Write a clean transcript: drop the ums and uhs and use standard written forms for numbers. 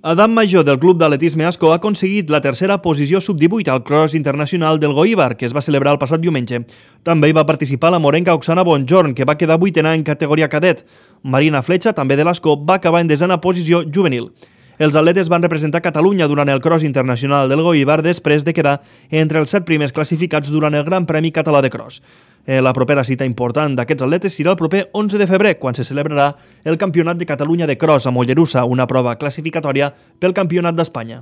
Adam Major, del Club d'Atletisme Ascó, ha aconseguit la tercera posició sub-18 al Cross Internacional del Goíbar, que es va celebrar el passat diumenge. També hi va participar la morenca Oksana Bonjorn, que va quedar vuitena en categoria cadet. Marina Fletxa, també de l'Ascó, va acabar en desena posició juvenil. Els atletes van representar Catalunya durant el Cross Internacional del Goíbar després de quedar entre els 7 primers classificats durant el Gran Premi Català de Cross. La propera cita important d'aquests atletes serà el proper 11 de febrer, quan se celebrarà el Campionat de Catalunya de Cross a Mollerussa, una prova classificatòria pel Campionat d'Espanya.